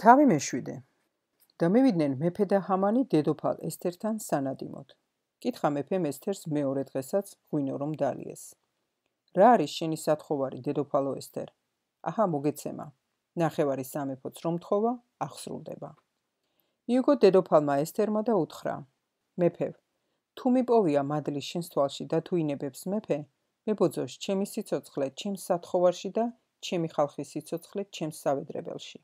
თავი მეშვიდე და მივიდნენ მეფე და ჰამანი დედოფალ ესთერთან სანადიმოდ. კითხა მეფემ ესთერს მეორე დღესაც ღვინო რომ დალიეს. რა არის შენი სათხოვარი, დედოფალო ესთერ? აჰა, მოგეცემა. ნახევარი სამეფოც რომ თხოვა, აღსრულდება. მიუგო დედოფალმა ესთერმა და უთხრა: მეფევ, თუ მიპოვია მადლი შენს თვალში და თუ ინებებს მეფე, მებოძოს ჩემი სიცოცხლე ჩემს სათხოვარში და ჩემი ხალხის სიცოცხლე ჩემს სავედრებელში.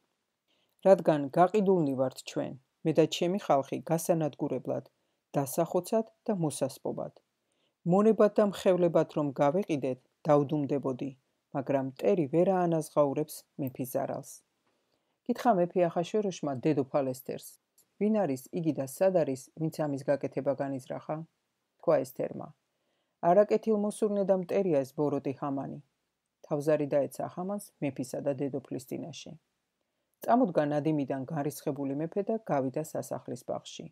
რადგან გაყიდულნი ვართ ჩვენ, მე და ჩემი ხალხი გასანადგურებლად, დასახოცად და მოსასპობად. მონებად და მხევლებად რომ გავეყიდეთ, დავდუმდებოდი, მაგრამ მტერი ვერ აანაზღაურებს მეფის ზარალს. კითხა მეფე ახაშვეროშმა დედოფალ ესთერს: ვინ არის იგი და სად არის, ვინც ამის გაკეთება განიზრახა? თქვა ესთერმა: არაკეთილმოსურნე და მტერია ეს ბოროტი ჰამანი. თავზარი დაეცა ჰამანს მეფისა და დედოფლის წინაშე. წამოდგა ნადიმიდან გარისხებული მეფე და გავიდა სასახლის ბაღში.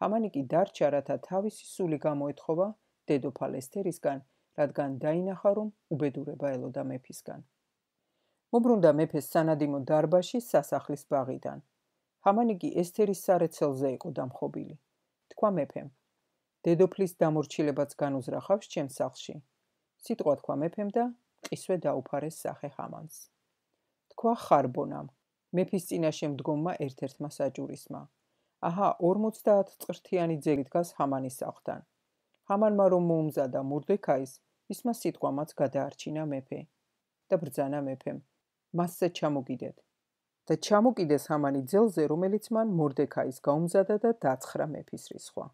ჰამანი კი დარჩა, რათა თავისი სული გამოეთხოვა დედოფალ ესთერისგან, რადგან დაინახა, რომ უბედურება ელოდა მეფისგან. მობრუნდა მეფეს სანადიმო დარბაზში სასახლის ბაღიდან. ჰამანი კი ესთერის სარეცელზე იყო დამხობილი. თქვა მეფემ: დედოფლის დამორჩილებაც განუზრახავს ჩემს სახლში. სიტყვა თქვა მეფემ და ყისვე დაუფარეს სახე ჰამანს. თქვა ხარბონამ, მეფის წინაშე მდგომმა ერთ-ერთმა საჭურისმა: აჰა, 50 წრთიანი ძელი დგას ჰამანის სახლთან. ჰამანმა რომ მოუმზადა მორდექაის, ისმა სიტყვამაც გადაარჩინა მეფე და ბრძანა მეფემ: მასზე ჩამოგიდეთ და ჩამოკიდეს ჰამანი ძელზე, რომელიც მან მორდექაის გაუმზადა და დაცხრა მეფის რისხვა.